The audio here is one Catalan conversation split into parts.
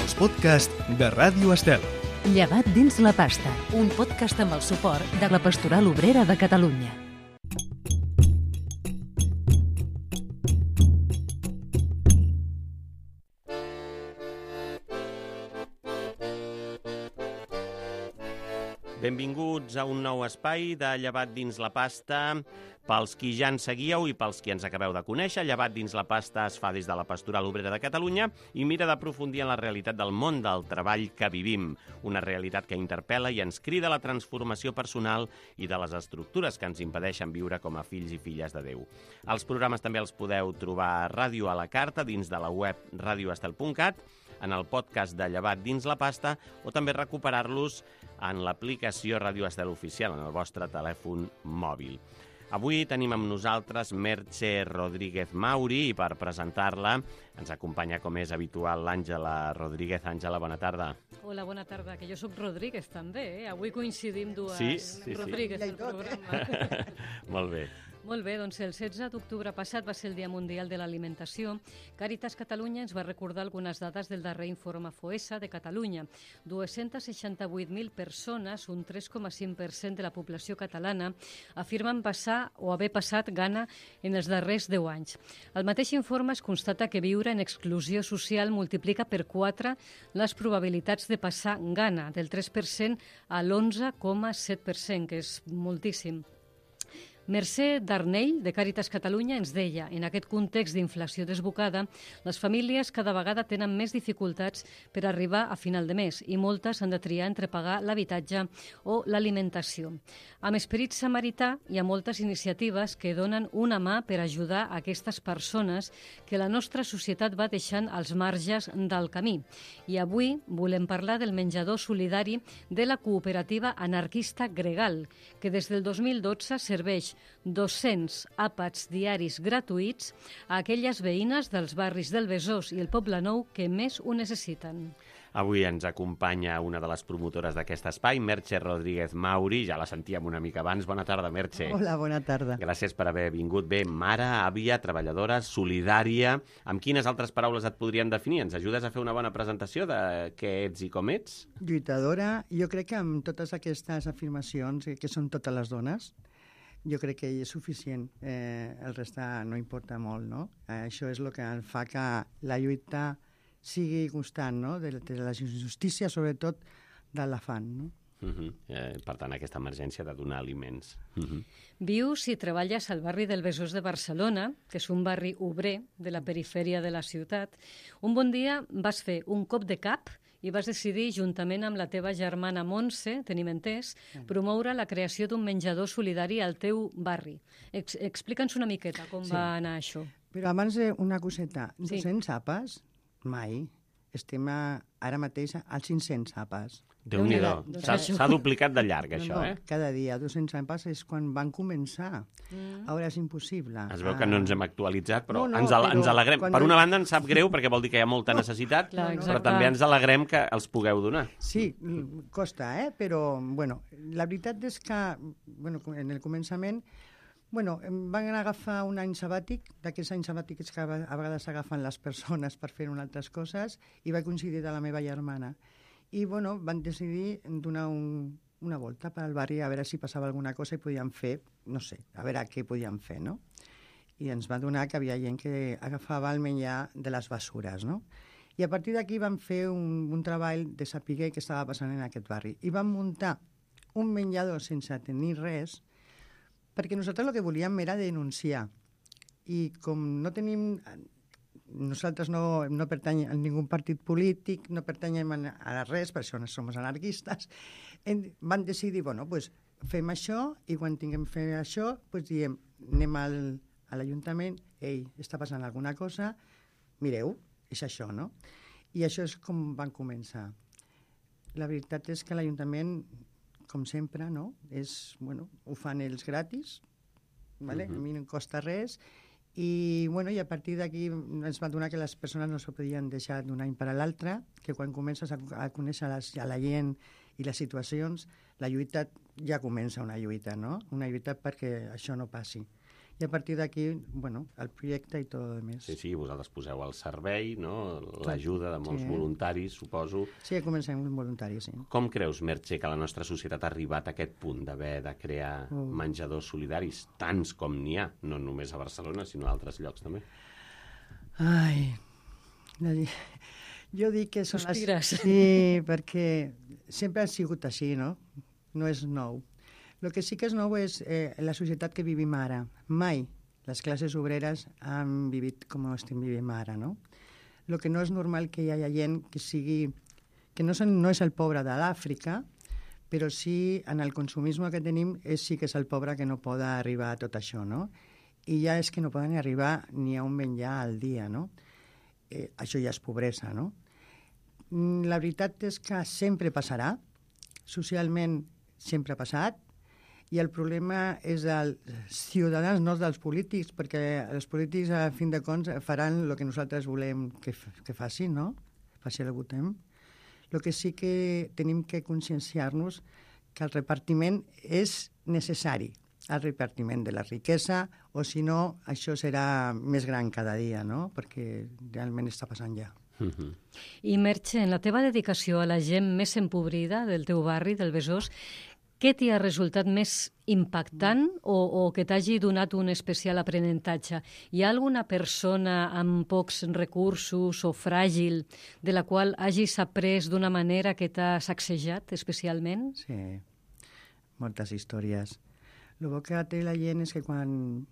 els podcasts de Ràdio Estel. Llevat dins la pasta, un podcast amb el suport de la Pastoral Obrera de Catalunya. Benvinguts a un nou espai de Llevat dins la pasta. Pels qui ja ens seguíeu i pels qui ens acabeu de conèixer, Llevat dins la pasta es fa des de la Pastoral Obrera de Catalunya i mira d'aprofundir en la realitat del món del treball que vivim. Una realitat que interpel·la i ens crida a la transformació personal i de les estructures que ens impedeixen viure com a fills i filles de Déu. Els programes també els podeu trobar a Ràdio a la Carta dins de la web radioestel.cat, en el podcast de Llevat dins la pasta o també recuperar-los en l'aplicació Ràdio Estel Oficial en el vostre telèfon mòbil. Avui tenim amb nosaltres Merche Rodríguez Mauri i per presentar-la ens acompanya, com és habitual, l'Àngela Rodríguez. Àngela, bona tarda. Hola, bona tarda, que jo soc Rodríguez també, Avui coincidim dues Sí. Rodríguez al programa. Molt bé. Molt bé, doncs el 16 d'octubre passat va ser el Dia Mundial de l'Alimentació. Càritas Catalunya ens va recordar algunes dades del darrer informe FOESA de Catalunya. 268.000 persones, un 3,5% de la població catalana, afirmen passar o haver passat gana en els darrers 10 anys. Al mateix informe es constata que viure en exclusió social multiplica per 4 les probabilitats de passar gana, del 3% a l'11,7%, que és moltíssim. Mercè Darnell, de Càritas Catalunya, ens deia, en aquest context d'inflació desbocada, les famílies cada vegada tenen més dificultats per arribar a final de mes i moltes han de triar entre pagar l'habitatge o l'alimentació. Amb esperit samarità hi ha moltes iniciatives que donen una mà per ajudar a aquestes persones que la nostra societat va deixant als marges del camí. I avui volem parlar del menjador solidari de la cooperativa anarquista Gregal, que des del 2012 serveix 200 àpats diaris gratuïts a aquelles veïnes dels barris del Besòs i el Poble Nou que més ho necessiten. Avui ens acompanya una de les promotores d'aquest espai, Merche Rodríguez Mauri. Ja la sentíem una mica abans. Bona tarda, Merche. Hola, bona tarda. Gràcies per haver vingut. Bé, mare, àvia, treballadora, solidària. Amb quines altres paraules et podrien definir? Ens ajudes a fer una bona presentació de què ets i com ets? Lluitadora. Jo crec que amb totes aquestes afirmacions, que són totes les dones, jo crec que és suficient. El reste no importa molt, no? Això és el que fa que la lluita sigui constant, no? De les injustícies, sobretot de l'afant, no? Per tant, aquesta emergència de donar aliments. Vius i treballes al barri del Besòs de Barcelona, que és un barri obrer de la perifèria de la ciutat. Un bon dia vas fer un cop de cap i vas decidir, juntament amb la teva germana Montse, tenim entès, promoure la creació d'un menjador solidari al teu barri. Explica'ns una miqueta com va anar això. Però abans una coseta. 200 àpats? Mai. Estem ara mateix als 500 àpats. Déu-n'hi-do. S'ha duplicat de llarg, això, eh? Cada dia. 200 àpats és quan van començar. Ara és impossible. Es veu que no ens hem actualitzat, però ens alegrem. Per una banda ens sap greu, perquè vol dir que hi ha molta necessitat, però també ens alegrem que els pugueu donar. Sí, costa, però, bueno, la veritat és que, bueno, en el començament, van agafar un any sabàtic, d'aquests anys sabàtics que a vegades agafen les persones per fer altres coses, i va coincidir de la meva germana. I, bueno, van decidir donar una volta pel barri a veure si passava alguna cosa i podíem fer, no sé, a veure què podíem fer, no? I ens va donar que havia gent que agafava el menjar de les bessures, no? I a partir d'aquí vam fer un treball de saber què estava passant en aquest barri. I vam muntar un menjador sense tenir res, perquè nosaltres el que volíem era denunciar. I com no tenim... Nosaltres no pertanyem a ningú partit polític, no pertanyem a res, per això no som anarquistes, van decidir, fem això, i quan tinguem fet això, diem, anem a l'Ajuntament, està passant alguna cosa, mireu, és això, no? I això és com van començar. La veritat és que l'Ajuntament, com sempre, no? Ho fan ells gratis, a mi no em costa res, i a partir d'aquí ens va donar que les persones no s'ho podien deixar d'un any per a l'altre, que quan comences a conèixer a la gent i les situacions, la lluita ja comença una lluita, no? Una lluita perquè això no passi. I a partir d'aquí, bueno, el projecte i tot el més. Sí, vosaltres poseu al servei, no? L'ajuda de molts voluntaris, suposo. Sí, comencem amb voluntaris, sí. Com creus, Merche, que la nostra societat ha arribat a aquest punt d'haver de crear menjadors solidaris, tants com n'hi ha, no només a Barcelona, sinó a altres llocs també? Ai, jo dic que són Sospires. Sí, perquè sempre ha sigut així, no? No és nou. El que sí que és nou és la societat que vivim ara. Mai les classes obreres han vivit com estem vivint ara, no? El que no és normal que hi hagi gent que sigui... que no és el pobre de l'Àfrica, però sí, en el consumisme que tenim, sí que és el pobre que no pot arribar a tot això, no? I ja és que no poden arribar ni a un menjar al dia, no? Això ja és pobresa, no? La veritat és que sempre passarà, socialment sempre ha passat, i el problema és dels ciutadans, no dels polítics, perquè els polítics, a fin de comptes, faran el que nosaltres volem que facin, no? Faci el que votem. El que sí que tenim que conscienciar-nos que el repartiment és necessari, el repartiment de la riquesa, o si no, això serà més gran cada dia, no? Perquè realment està passant ja. I Merche, en la teva dedicació a la gent més empobrida del teu barri, del Besòs, què t'hi ha resultat més impactant o que t'hagi donat un especial aprenentatge? Hi ha alguna persona amb pocs recursos o fràgil de la qual hagis après d'una manera que t'ha sacsejat especialment? Sí, moltes històries. El bo que té la gent és que quan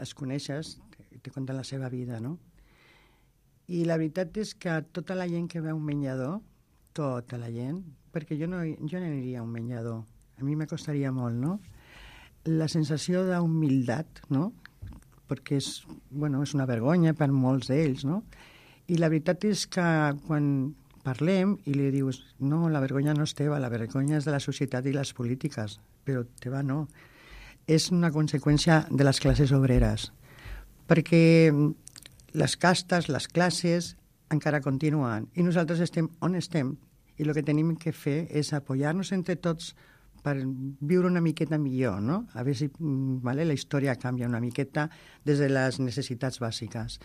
es coneixes te conten la seva vida, no? I la veritat és que tota la gent que veu un menjador, tota la gent, perquè jo no aniria a un menjador, a mi me costaria molt, no? La sensació d'humilitat, no? Perquè és una vergonya per molts d'ells, no? I la veritat és que quan parlem i li dius no, la vergonya no és teva, la vergonya és de la societat i les polítiques, però teva no. És una conseqüència de les classes obreres, perquè les castes, les classes encara continuen i nosaltres estem on estem i el que tenim que fer és apoyar-nos entre tots per viure una miqueta millor, no? A veure si la història canvia una miqueta des de les necessitats bàsiques.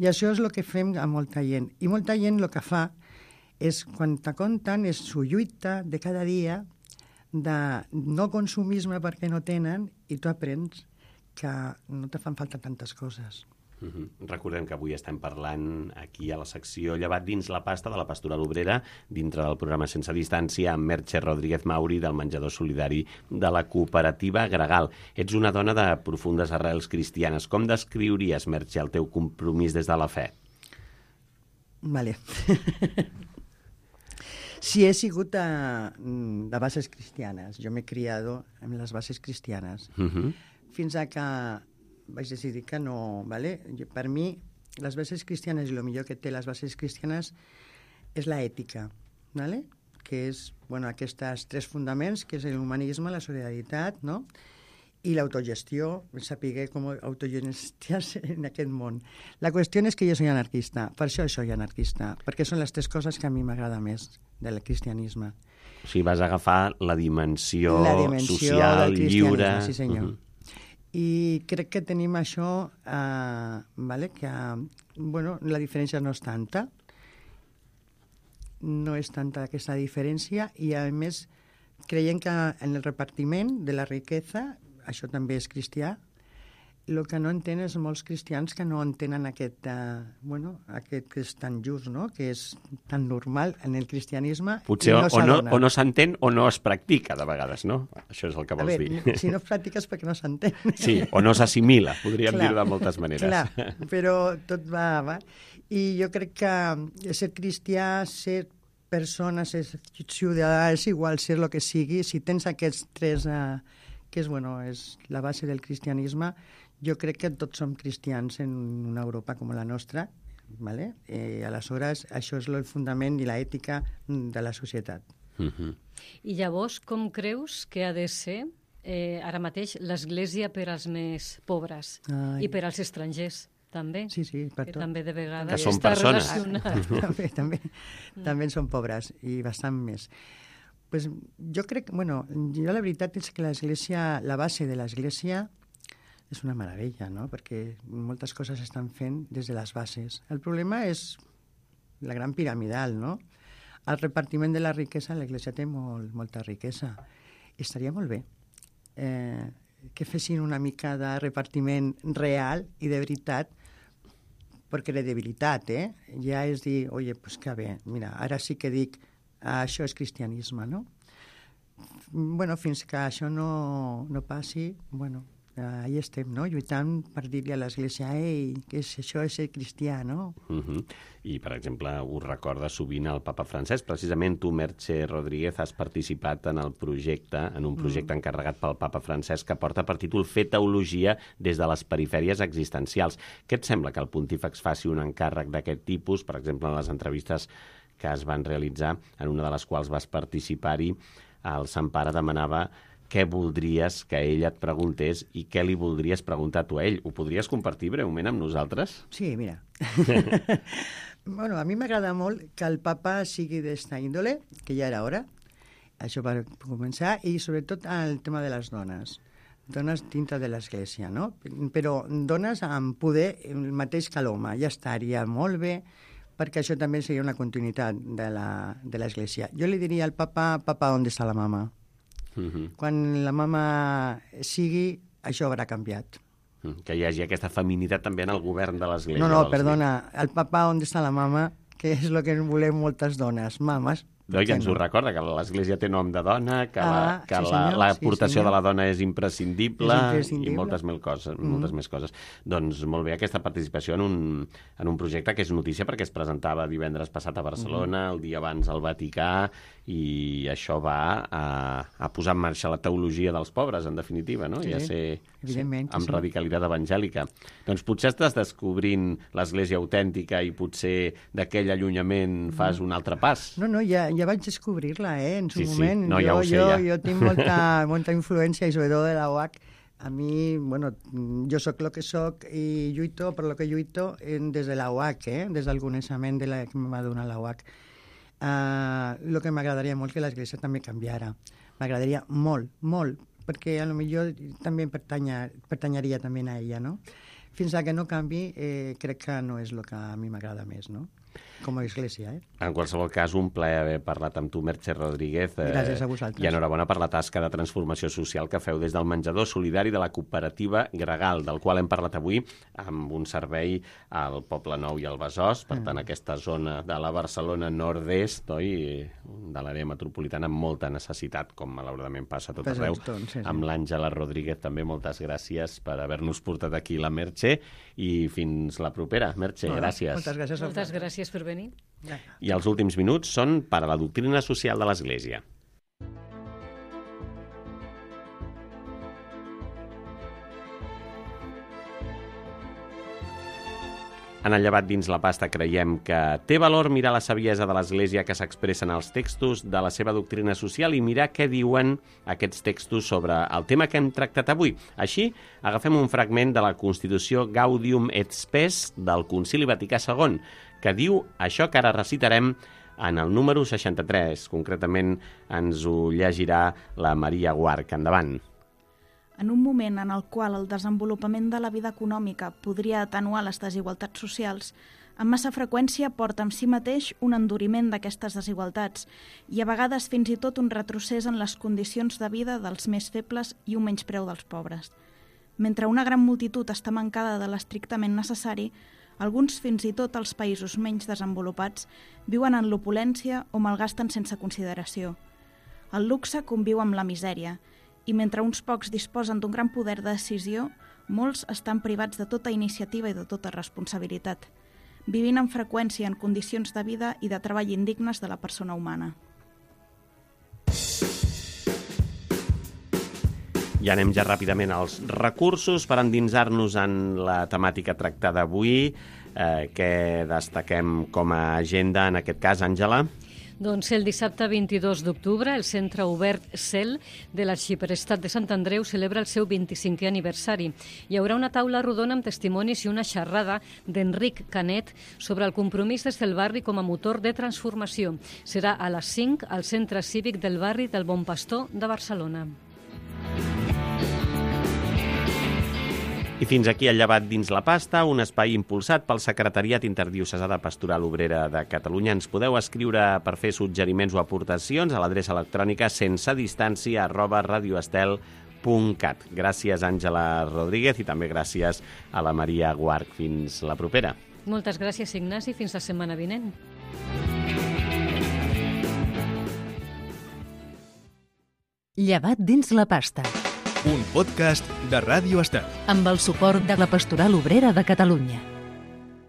I això és el que fem a molta gent. I molta gent el que fa és, quan te conten, és su lluita de cada dia de no consumisme perquè no tenen i tu aprens que no te fan falta tantes coses. Recordem que avui estem parlant aquí a la secció Llevat dins la pasta de la Pastoral Obrera, dintre del programa Sense Distància, amb Merche Rodríguez Mauri del menjador solidari de la cooperativa Gregal. Ets una dona de profundes arrels cristianes. Com descriuries, Merche, el teu compromís des de la fe? Vale. Sí, he sigut de bases cristianes. Jo m'he criat amb les bases cristianes. Fins a que vaig decidir que no, ¿vale? Per mi, les bases cristianes i el millor que té les bases cristianes és l'ètica, ¿vale? Que és, aquests tres fundaments, que és l'humanisme, la solidaritat, no? I l'autogestió, saber com autogestionar-se en aquest món. La qüestió és que jo soy anarquista, per això soy anarquista, perquè són les tres coses que a mi m'agrada més del cristianisme. O sigui, vas agafar la dimensió social, del lliure... Sí, senyor. I crec que tenim això, que la diferència no és tanta, no és tanta aquesta diferència, i a més creiem que en el repartiment de la riquesa, això també és cristià, el que no entenen és molts cristians que no entenen aquest que és tan just, no? Que és tan normal en el cristianisme. Potser o no s'entén o no es practica de vegades, no? Això és el que vols dir. Si no es practiques perquè no s'entén. Sí, o no s'assimila, podríem dir-ho de moltes maneres. Clar, però tot va. I jo crec que ser cristià, ser persona, ser ciutadà, és igual ser el que sigui, si tens aquests tres, que és la base del cristianisme, jo crec que tots som cristians en una Europa com la nostra, ¿vale? Aleshores, això és el fundament i l'ètica de la societat. I llavors, com creus que ha de ser ara mateix l'Església per als més pobres i per als estrangers? També, sí, per tot. Que també de vegades que són està persones. relacionat. També són pobres i bastant més. Pues jo crec, jo la veritat és que l'Església, la base de l'Església és una meravella, no? Perquè moltes coses s'estan fent des de les bases. El problema és la gran piramidal, no? El repartiment de la riquesa, l'Església té molta riquesa. Estaria molt bé que fessin una mica de repartiment real i de veritat, per credibilitat, ja és dir, oye, pues que bé, mira, ara sí que dic, això és cristianisme, no? Bueno, fins que això no passi, bueno, ahí estem, no? Lluitant per dir-li a l'Església, ei, que això és ser cristià, no? I, per exemple, ho recorda sovint el papa Francesc. Precisament tu, Merche Rodríguez, has participat en un projecte encarregat pel papa Francesc que porta per títol Fer teologia des de les perifèries existencials. Què et sembla que el pontífex faci un encàrrec d'aquest tipus? Per exemple, en les entrevistes que es van realitzar, en una de les quals vas participar-hi, el Sant Pare demanava què voldries que ell et preguntés i què li voldries preguntar tu a ell. Ho podries compartir breument amb nosaltres? Sí, mira. Bueno, a mi m'agrada molt que el papa sigui d'esta índole, que ja era hora, això va començar, i sobretot el tema de les dones dintre de l'Església, no? Però dones amb poder el mateix que l'home, ja estaria molt bé, perquè això també seria una continuïtat de l'Església. Jo li diria al papa, on està la mama? Quan la mama sigui, això haurà canviat. Que hi hagi aquesta feminitat també en el govern de l'Església. No, perdona, el papa on està la mama, que és el que volem moltes dones, mames. I ens ho recorda, que l'Església té nom de dona, que l'aportació de la dona és imprescindible i moltes més coses. Doncs molt bé, aquesta participació en un projecte que és notícia perquè es presentava divendres passat a Barcelona, el dia abans al Vaticà, i això va a posar en marxa la teologia dels pobres, en definitiva, no? I a ser amb radicalitat evangèlica. Doncs potser estàs descobrint l'Església autèntica i potser d'aquell allunyament fas un altre pas. No, ja vaig descobrir-la, en su moment. No, ja ho sé, ja. Jo tinc molta influència, i sobretot de la UAC. A mi, bueno, jo sóc el que sóc i lluito per lo que lluito des de la UAC, des del coneixement que em va donar la UAC. El que m'agradaria molt que l'Església també canviara. M'agradaria molt, perquè a lo millor també pertanyaria també a ella, no? Fins que no canvi, crec que no és el que a mi m'agrada més, no? Com a església, En qualsevol cas, un plaer haver parlat amb tu, Merche Rodríguez. Gràcies a vosaltres. I enhorabona per la tasca de transformació social que feu des del menjador solidari de la cooperativa Gregal, del qual hem parlat avui amb un servei al Poble Nou i al Besòs, per tant, aquesta zona de la Barcelona nord-est, de l'àrea metropolitana, amb molta necessitat, com malauradament passa a tot arreu. Amb l'Àngela Rodríguez també, moltes gràcies per haver-nos portat aquí la Merche, i fins la propera. Merche, gràcies. Moltes gràcies per venir. I els últims minuts són per a la doctrina social de l'Església. En el llevat dins la pasta creiem que té valor mirar la saviesa de l'Església que s'expressa en els textos de la seva doctrina social i mirar què diuen aquests textos sobre el tema que hem tractat avui. Així, agafem un fragment de la Constitució Gaudium et Spes del Concili Vaticà II, que diu això que ara recitarem en el número 63. Concretament ens ho llegirà la Maria Guarch. Endavant. En un moment en el qual el desenvolupament de la vida econòmica podria atenuar les desigualtats socials, amb massa freqüència porta amb si mateix un enduriment d'aquestes desigualtats i a vegades fins i tot un retrocés en les condicions de vida dels més febles i un menyspreu dels pobres. Mentre una gran multitud està mancada de l'estrictament necessari, alguns, fins i tot els països menys desenvolupats, viuen en l'opulència o malgasten sense consideració. El luxe conviu amb la misèria, i mentre uns pocs disposen d'un gran poder de decisió, molts estan privats de tota iniciativa i de tota responsabilitat, vivint amb freqüència en condicions de vida i de treball indignes de la persona humana. I anem ja ràpidament als recursos per endinsar-nos en la temàtica tractada avui. Què destaquem com a agenda en aquest cas, Àngela? Doncs el dissabte 22 d'octubre, el Centre Obert CEL de l'Arxiprestat de Sant Andreu celebra el seu 25è aniversari. Hi haurà una taula rodona amb testimonis i una xerrada d'Enric Canet sobre el compromís des del barri com a motor de transformació. Serà a les 5 al Centre Cívic del barri del Bon Pastor de Barcelona. I fins aquí el Llevat dins la pasta, un espai impulsat pel Secretariat Interdiocesà de Pastoral Obrera de Catalunya. Ens podeu escriure per fer suggeriments o aportacions a l'adreça electrònica sensedistància@radioestel.cat. Gràcies, Àngela Rodríguez, i també gràcies a la Maria Guarch. Fins la propera. Moltes gràcies, Ignasi. Fins la setmana vinent. Llevat dins la pasta. Un podcast de Ràdio Estel. Amb el suport de la Pastoral Obrera de Catalunya.